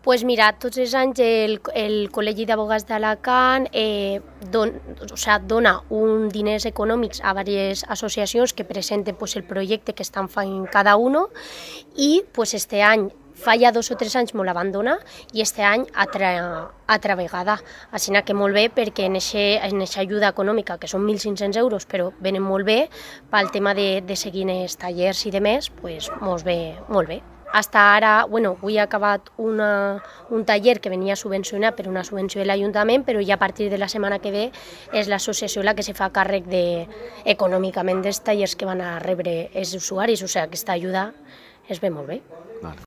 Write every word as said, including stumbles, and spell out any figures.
Pues mira, tots els anys el, el Col·legi d'Advocats d'Alacant eh, don, o sea, dona un diners econòmics a diverses associacions que presenten pues, el projecte que estan fent cada uno i pues, este any, fa ja dos o tres anys me la van donar i este any altra, altra vegada. Així que molt bé perquè en aquesta ajuda econòmica, que són mil cinc-cents euros, però venen molt bé pel tema de, de seguir els tallers i de més, pues, molt bé, molt bé. Hasta ara, bueno, avui he acabat una, un taller que venia subvencionat per una subvenció de l'Ajuntament, però ja a partir de la setmana que ve és l'associació la que se fa càrrec de, econòmicament dels tallers que van a rebre els usuaris, o sigui, aquesta ajuda es ve molt bé. Vale.